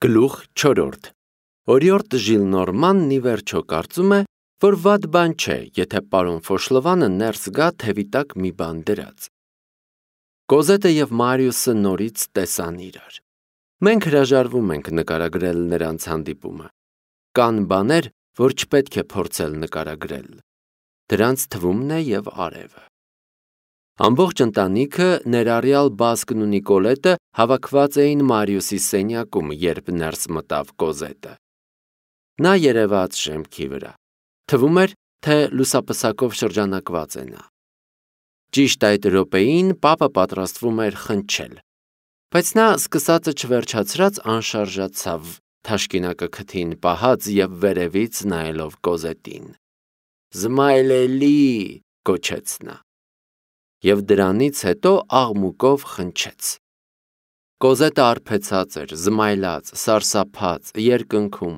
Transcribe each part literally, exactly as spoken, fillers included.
Գլուխ չորրորդ Օրիորդ Ժիլնորմանն ի վերջո կարծում է, որ վատ բան չէ, եթե պարոն Ֆոշլովանը ներս գա թևի տակ մի բան դրած։ Կոզետը և Մարիուսը նորից տեսան իրար։ Մենք հրաժարվում ենք նկարագրել նրանց հանդիպումը։ Կան բաներ, որ չպետք է փորձել նկարագրել։ Դրանց թվում է և արևը։ Ամբողջ ընտանիքը, ներառյալ Բասկն ու Նիկոլետը, հավաքված էին Մարիուսի սենյակում, երբ ներս մտավ Կոզետը։ Նա երևաց շեմքի վրա։ Թվում էր, թե լուսապսակով շրջանակված է նա։ Ճիշտ այդ րոպեին պապը պատրաստվում էր խնչել, բայց նա սկսածը չվերջացրած անշարժացավ, թաշկինակը քթին պահած և վերևից նայելով Կոզետին։ «Զմայլելի», գոչեց նա։ Եվ դրանից հետո աղմուկով խնչեց։ Կոզետը արբեցած էր, զմայլած, սարսափած, երկնքում։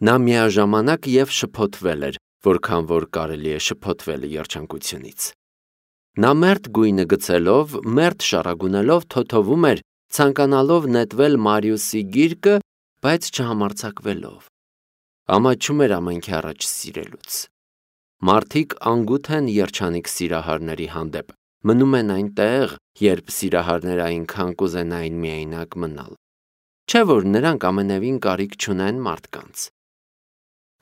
Նա միաժամանակ և շփոթվել էր, որքան որ կարելի է շփոթվել երջանկությունից։ Նա մերթ գույնը գցելով, մերթ շառագունելով թոթովում էր, ցանկանալով նետվել Մարիուսի գիրկը, բայց չհամարձակվելով։ Ամաչում էր ամենքի առաջ սիրելուց։ Մարդիկ անգութ են երջանիկ սիրահարների հանդեպ, մնում են այնտեղ, երբ սիրահարները այնքան կուզենային միայնակ մնալ։ Չէ՞ որ նրանք ամենևին կարիք չունեն մարդկանց։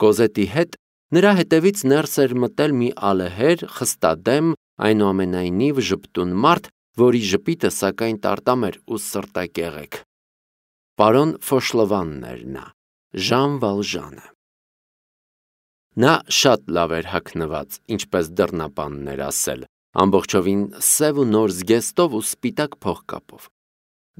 Կոզետի հետ նրա հետևից ներս էր մտել մի ալեհեր, խստադեմ, այնուամենայնիվ ժպտուն մարդ, որի ժպիտը սակայն տարտամ էր ու սրտակեղեք։ Պարոն Ֆոշլովանն էր նա, Ժան Վալժանը։ Նա շատ լավ էր հագնված, ինչպես դռնապանն էր ասել, ամբողջովին սև ու նոր զգեստով ու սպիտակ փողկապով։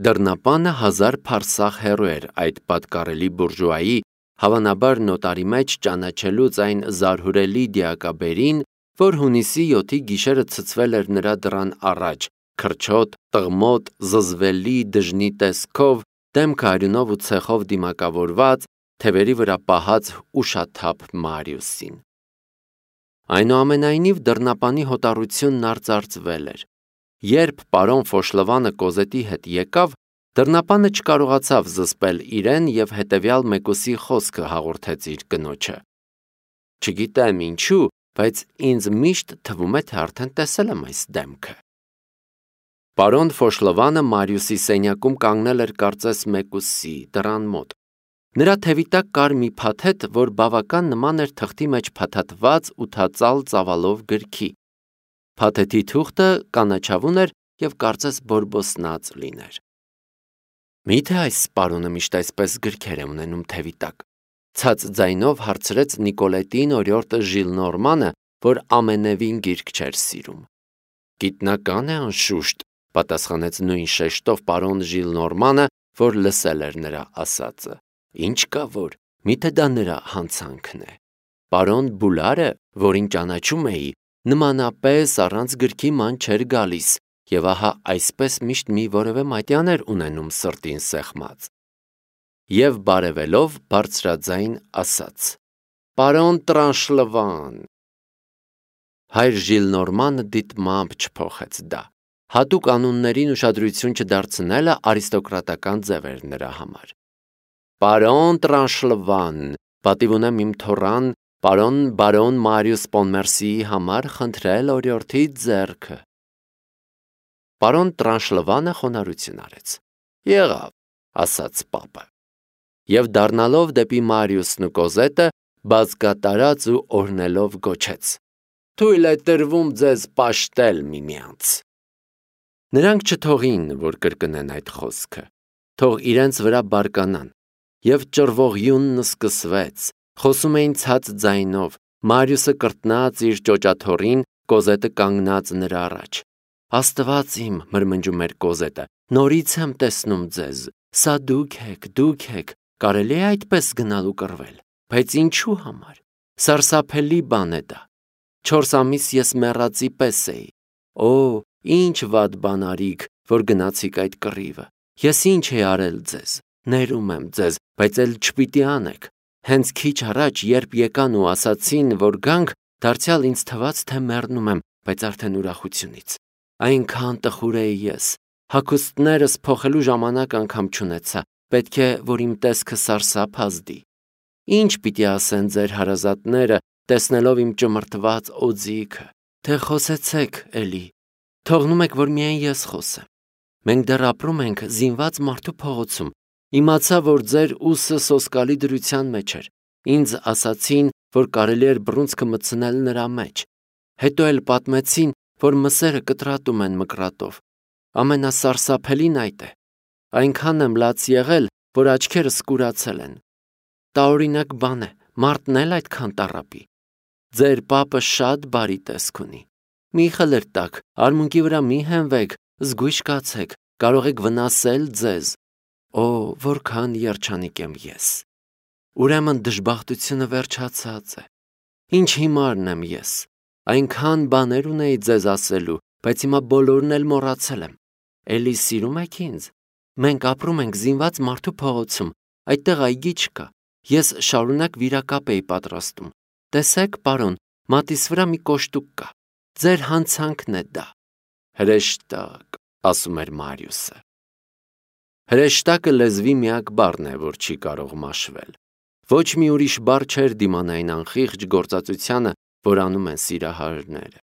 Դռնապանը հազար փարսաղ հեռու էր այդ պատկառելի բուրժուայի, հավանաբար նոտարի մեջ ճանաչելուց այն զարհուրելի դիակաբերին, որ հունիսի յոթի գիշերը ցցվել էր նրա դռան առաջ, քրչոտ, տղմոտ, զզվելի դժնի տեսքով, դեմքը արյունով ու ցեխով դիմակավորված, թևերի վրա պահած ուշաթափ Մարիուսին։ Այնուամենայնիվ դռնապանի հոտառությունն արծարծվել էր։ Երբ պարոն Ֆոշլովանը Կոզետի հետ եկավ, դռնապանը չկարողացավ զսպել իրեն և հետևյալ մեկուսի խոսքը հաղորդեց իր կնոջը. «Չգիտեմ ինչու, բայց ինձ միշտ թվում է, թե արդեն տեսել եմ այս դեմքը»։ Պարոն Ֆոշլովանը Մարիուսի սենյակում կանգնել էր կարծես մեկուսի, դռան մոտ։ Նրա թևի տակ կար մի փաթեթ, որ բավական նման էր թղթի մեջ փաթաթված ութածալ ծավալով գրքի։ Փաթեթի թուղթը կանաչավուն էր և կարծես բորբոսնած լիներ։ Մի՞թե այս պարոնը միշտ այսպես գրքեր է ունենում թևի տակ, ցած ձայնով հարցրեց Նիկոլետին օրիորդը Ժիլնորմանը, որ ամենևին գիրք չէր սիրում։ Գիտնական է անշուշտ, պատասխանեց նույն շեշտով պարոն Ժիլնորմանը, որ լսել էր նրա ասածը։ Ինչ կա որ, միթե դա նրա հանցանքն է։ Պարոն Բուլարը, որին ճանաչում էի, նմանապես առանց գրքի ման չէր գալիս, և ահա այսպես միշտ մի որևէ մատյան էր ունենում սրտին սեղմած։ Եվ բարևելով բարձրաձայն ասաց. «Պարոն Տրանշլվան»։ Հայր Ժիլնորմանը դիտմամբ չփոխեց դա։ Հատուկ անուններին ուշադրություն չդարձնելը արիստոկրատական ձև էր նրա համար։ Պարոն Տրանշլվան, պատիվ ունեմ իմ թոռան, պարոն բարոն Մարիուս Պոնմերսիի համար խնդրել օրիորդի ձեռքը։ Պարոն Տրանշլվանը խոնարհություն արեց։ Եղավ, ասաց պապը։ Եվ դառնալով դեպի Մարիուսն ու Կոզետը, բազկատարած ու օրհնելով գոչեց. Թույլ է տրվում ձեզ պաշտել միմյանց։ Նրանք չթողին, որ կրկնեն այդ խոսքը, թող իրենց վրա բարկանան, և ճռվողյունն սկսվեց, խոսում էին ցած ձայնով, Մարիուսը կրտնած իր ճոճաթոռին, Կոզետը կանգնած նրա առաջ։ Աստված իմ, մրմնջում էր Կոզետը, նորից եմ տեսնում ձեզ, սա դուք եք, դուք եք, կարելի է այդպես գնալ ու կռվել, բայց ինչու համար, սարսափելի բան է դա։ Չորս ամիս ես մեռածի պես էի։ Օ, ինչ վատ բան արիք, որ գնացիք այդ կռիվը։ Ես ինչ էի արել ձեզ, ներում եմ ձեզ, բայց էլ չպիտի անեք։ Հենց քիչ առաջ, երբ եկան ու ասացին, որ գանք, դարձյալ ինձ թվաց, թե մեռնում եմ, բայց արդեն ուրախությունից։ Այնքան տխուր էի ես, հագուստներս փոխելու ժամանակ անգամ չունեցա, պետք է, որ իմ տեսքը սարսափ ազդի։ Ինչ պիտի ասեն ձեր հարազատները, տեսնելով իմ ճմրթված օձիքը, թե խոսեցեք էլի, թողնում եք, որ միայն ես խոսեմ։ Մենք դեռ ապրում ենք զինված մարդու փողոցում, իմացա, որ ձեր ուսը սոսկալի դրության մեջ էր, ինձ ասացին, որ կարելի էր բռունցքը մտցնել նրա մեջ, հետո էլ պատմեցին, որ մսերը կտրատում են մկրատով, ամենասարսափելին այդ է, այնքան եմ լաց եղել, որ աչքերս կուրացել են, տարօրինակ բան է, մարդն էլ այդքան տառապի, ձեր պապը շատ բարի տեսք ունի, մի խլրտակ, արմունկի վրա մի հենվեք, զգույշ կացեք, կարող եք վնասել ձեզ, օ, որքան երջանիկ եմ ես, ուրեմն դժբախտությունը վերջացած է, ինչ հիմարն եմ ես, այնքան բաներ ունեի ձեզ ասելու, բայց հիմա բոլորն էլ մոռացել եմ, էլի սիրում եք ինձ, մենք ապրում ենք զինված մարդու փողոցում, այդտեղ այգի չկա, ես շարունակ վիրակապ էի պատրաստում, տեսեք պարոն, մատիս վրա մի կոշտուկ կա, ձեր հանցանքն է դա, հրեշտակ, ասում էր Մարիուսը, հրեշտակը լեզվի միակ բառն է, որ չի կարող մաշվել, ոչ մի ուրիշ բառ չէր դիմանային անխիղճ գործածությանը, որ անում են սիրահարները,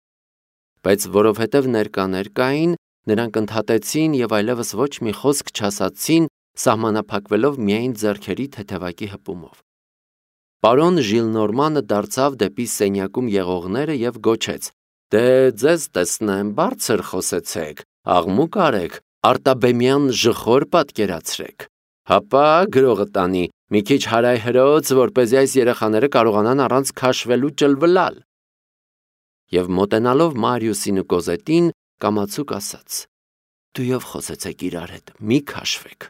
բայց որովհետև ներկաներ կային, նրանք ընդհատեցին և այլևս ոչ մի խոսք չասացին, սահմանափակվելով միայն ձեռքերի թեթևակի հպումով։ Պարոն Ժիլնորմանը դարձավ դեպի սենյակում եղողները և գոչեց. «Դե ձեզ տեսնեմ, բարձր խոսեցեք, աղմուկ արեք, արտաբեմյան ժխոր պատկերացրեք, հապա գրողը տանի, մի քիչ հարայհրոց, որպեսզի այս երեխաները կարողանան առանց քաշվելու ճլվլալ»։ Եվ մոտենալով Մարիուսին ու Կոզետին, կամացուկ ասաց. «Դույով խոսեցեք իրար հետ, մի քաշվեք»։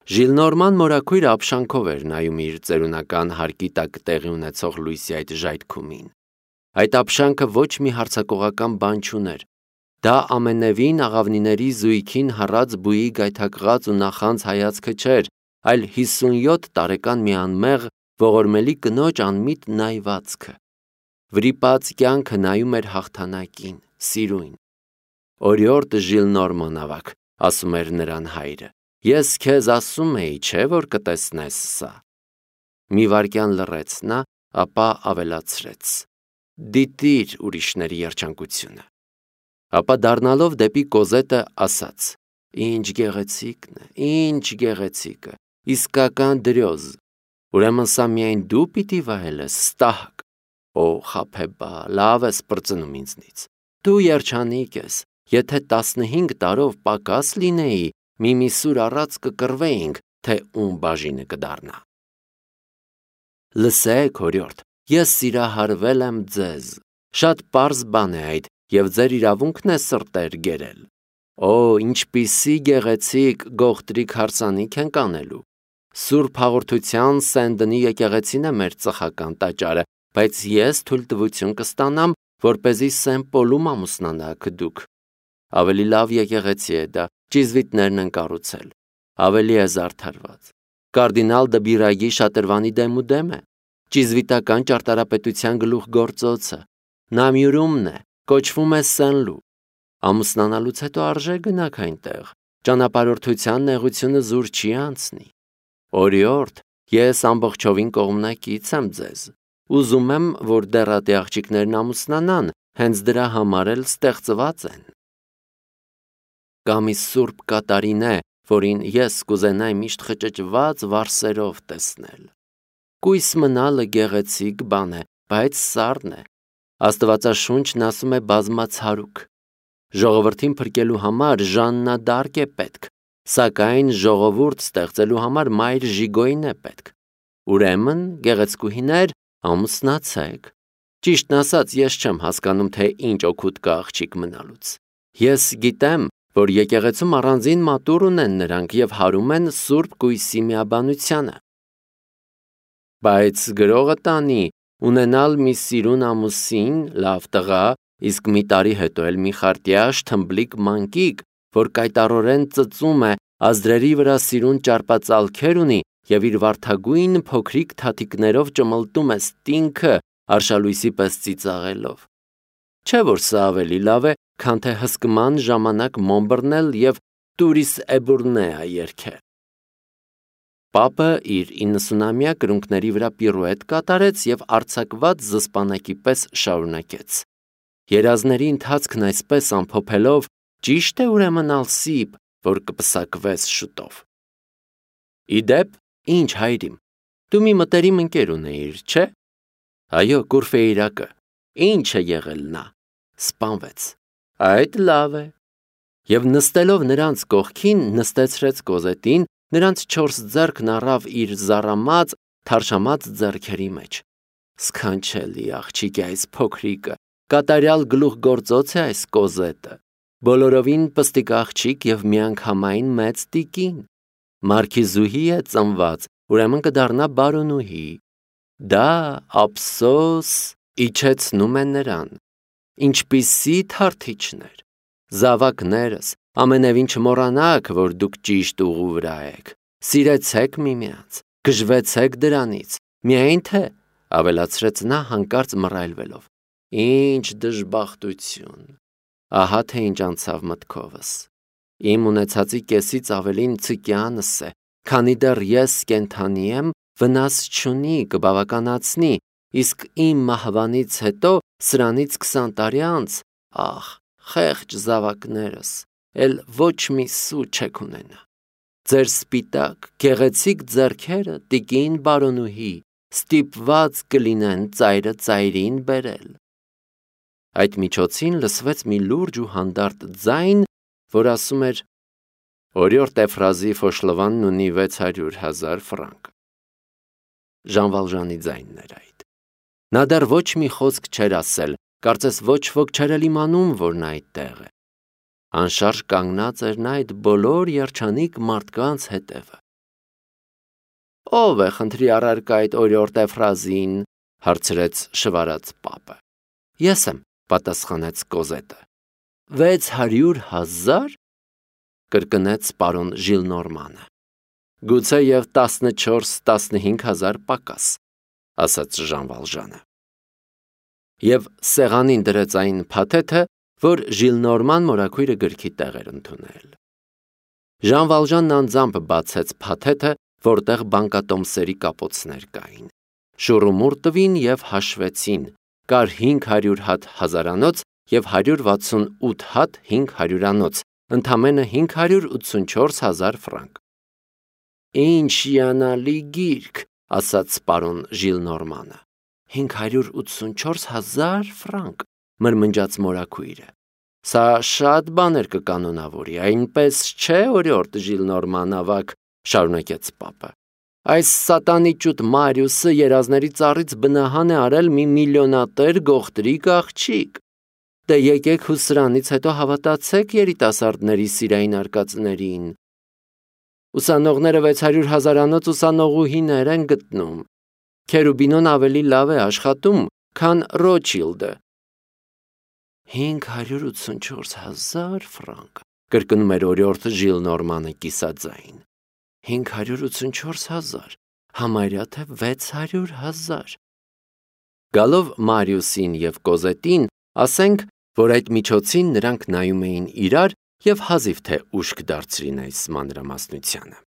Ժիլնորման մորաքույրը ապշանքով էր նայում իր ծերունական հարկի տակ տեղի ունեցող լույսի այդ ժայթքումին։ Այդ ապշանքը ոչ մի հարձակողական բան չուներ։ Դա ամենևին աղավնիների զույգին հառած բույի գայթակղած ու նախանձ հայացքը չէր, այլ հիսունյոթ տարեկան մի անմեղ, ողորմելի կնոջ անմիտ նայվածքը։ Վրիպած կյանքը նայում էր հաղթանակին, սիրույն։ «Օրիորդ Ժիլնորման ավագ», ասում էր նրան հայրը, «ես քեզ ասում էի, չէ՞ որ կտեսնես սա»։ Մի վայրկյան լռեց նա, ապա ավելացրեց. «Դիտիր ուրիշների երջանկությունը»։ Ապա դառնալով դեպի Կոզետը ասաց. «Ինչ գեղեցիկն է, ինչ գեղեցիկը, իսկական դրյոզ, ուրեմն սա միայն դու պիտի վայելես, ստահակ, օ խաբեբա, լավ ես պրծնում ինձնից, դու երջանիկ ես, եթե տասնհինգ տարով պակաս լինեի, մի միսուր առած կկռվեինք, թե ում բաժինը կդառնա»։ Լսեք, օրիորդ, ես սիրահարվել եմ ձեզ, շատ պարզ բան է այդ, և ձեր իրավունքն է սրտեր գերել։ Օ, ինչպիսի գեղեցիկ գողտրիկ հարսանիք ենք անելու։ Սուրբ հաղորդության Սեն-Դնի եկեղեցին է մեր ծխական տաճարը, բայց ես թույլտվություն կստանամ, որպեսզի Սեն-Պոլում ամուսնանաք դուք։ Ավելի լավ եկեղեցի է դա, ճիզվիտներն են կառուցել, ավելի է զարդարված։ Կարդինալ դը Բիրագի շատրվանի դեմուդեմ է, ճիզվիտական ճարտարապետության գլուխգործոցը, Նամյուրումն է, կոչվում է Սեն-Լու։ Ամուսնանալուց հետո արժե գնաք այնտեղ, ճանապարհորդության նեղությունը զուր չի անցնի։ Օրիորդ, ես ամբողջովին կողմնակից եմ ձեզ, ուզում եմ, որ դեռատի աղջիկներն ամուսնանան, հենց դրա համար էլ ստեղծված են։ Կա մի սուրբ կատարին է, որին ես կուզենայի միշտ խճճված վարսերով տեսնել։ Կույս մնալը գեղեցիկ բան է, բայց սառն է։ Աստվածաշունչն ասում է բազմացարուկ։ Ժողովրդին փրկելու համար Ժաննա Դարկ է պետք, սակայն ժողովուրդ ստեղծելու համար Մայր Ժիգոյն է պետք։ Ուրեմն, գեղեցկուհիներ, ամուսնացեք։ Ճիշտն ասած, ես չեմ հասկանում, թե ինչ օգուտ կա աղջիկ մնալուց։ Ես գիտեմ, որ եկեղեցում առանձին մատուռ ունեն նրանք և հարում են սուրբ կույսի միաբանությանը։ Բայց գրողը տանի, ունենալ մի սիրուն ամուսին, լավ տղա, իսկ մի տարի հետո էլ մի խարտյաշ թմբլիկ մանկիկ, որ կայտառորեն ծծում է, ազդրերի վրա սիրուն ճարպածալքեր ունի և իր վարդագույն փոքրիկ թաթիկներով ճմլտում է ստինքը, արշալույսի պես ծիծաղելով։ Չէ՞ որ սա ավելի լավ է, քան թե հսկման ժամանակ մոմ բռնել և «Տուրիս էբուրնեա» երգել։ Պապը իր իննսունամյա կրունկների վրա պիրուետ կատարեց և արձակված զսպանակի պես շարունակեց. Երազների ընթացքն այսպես ամփոփելով, ճիշտ է ուրեմն ալսիպ, որ կպսակվես շուտով։ Իդեպ, ինչ հայրիմ, դու մի մտերիմ ընկեր ունեիր, չէ՞։ Այո, Կուրֆեյրակը, ինչ է եղել նա, սպանվեց։ Այդ լավ է։ Եվ նստելով նրանց կողքին նստեցրեց Կոզետին, նրանց չորս ձեռքն առավ իր զառամած, թարշամած ձեռքերի մեջ։ Սքանչելի աղջիկ է այս փոքրիկը, կատարյալ գլուխգործոց է այս Կոզետը, բոլորովին պստիկ աղջիկ և միանգամայն մեծ տիկին։ Մարքիզուհի է ծնված, ուրեմն կդառնա բարոնուհի։ Դա ափսոս, իջեցնում է նրան։ Ինչպիսի թարթիչներ, զավակներս, ամենևին չմոռանաք, որ դուք ճիշտ ուղու վրա եք, սիրեցեք միմյանց, գժվեցեք դրանից, միայն թե, ավելացրեց նա հանկարծ մռայլվելով, ինչ դժբախտություն, ահա թե ինչ անցավ մտքովս, իմ ունեցածի կեսից ավելին ցկյանս է, քանի դեռ ես կենդանի եմ, վնաս չունի, կբավականացնի, իսկ իմ մահվանից հետո սրանից քսան տարի անց, ախ, խեղճ զավակներս, էլ ոչ մի սու չեք ունենա։ Ձեր սպիտակ, գեղեցիկ ձեռքերը, տիկին բարոնուհի, ստիպված կլինեն ծայրը ծայրին բերել։ Այդ միջոցին լսվեց մի լուրջ ու հանդարտ ձայն, որ ասում էր. Օրիորդ Էֆրազի Ֆոշլովանն ունի վեց հարյուր հազար ֆրանկ։ Ժան Վալժանի ձայնն էր այդ։ Նա դեռ ոչ մի խոսք չէր ասել, կարծես ոչ ոք չէր էլ իմանում, որ նա այդտեղ է։ Անշարժ կանգնած էր նա այդ բոլոր երջանիկ մարդկանց հետևը։ Ո՞վ է խնդրի առարկա այդ օրիորդ Էֆրազին, հարցրեց շվարած պապը։ Ես եմ, պատասխանեց Կոզետը։ Վեց հարյուր հազար, կրկնեց պարոն Ժիլնորմանը։ Գուցե և տասնչորս տասնհինգ հազար պակաս, ասաց Ժան Վալժանը։ Եվ սեղանին դրեց այն փաթեթը, որ Ժիլնորման մորաքույրը գրքի տեղ էր ընդունել։ Ժան Վալժանն անձամբ բացեց փաթեթը, որտեղ բանկատոմսերի կապոցներ կային։ Շուռումուռ տվին և հաշվեցին, կար հինգ հարյուր հատ հազարանոց և հարյուր վաթսունութ հատ հինգ հարյուրանոց, ընդամենը հինգ հարյուր ութսունչորս հազար ֆրանկ։ Ինչ հիանալի գիրք, ասաց պարոն Ժիլնորմանը։ Հինգ հարյուր ութսունչորս հազար ֆրանկ, մրմնջաց մորաքույրը։ Սա շատ բաներ կկանոնավորի, այնպես չէ, օրիորդ Ժիլնորման ավագ, շարունակեց պապը։ Այս սատանի ճուտ Մարիուսը երազների ծառից բնահան է արել մի միլիոնատեր գողտրիկ աղջիկ։ Դե եկեք հուսրանից հետո հավատացեք երիտասարդների սիրային արկածներին։ Ուսանողները վեց հարյուր հազարանոց ուսանողուհիներ են գտնում։ Քերուբինոն ավելի լավ է աշխատում, քան Ռոչիլդը։ Հինգ հարյուր ութսունչորս հազար ֆրանկ, կրկնում էր օրիորդ Ժիլնորմանը կիսաձայն։ Հինգ հարյուր ութսունչորս հազար, համարյա թե վեց հարյուր հազար։ Գալով Մարիուսին և Կոզետին, ասենք, որ այդ միջոցին նրանք նայում էին իրար և հազիվ թե ուշք դարձրին այս մանրամասնությանը։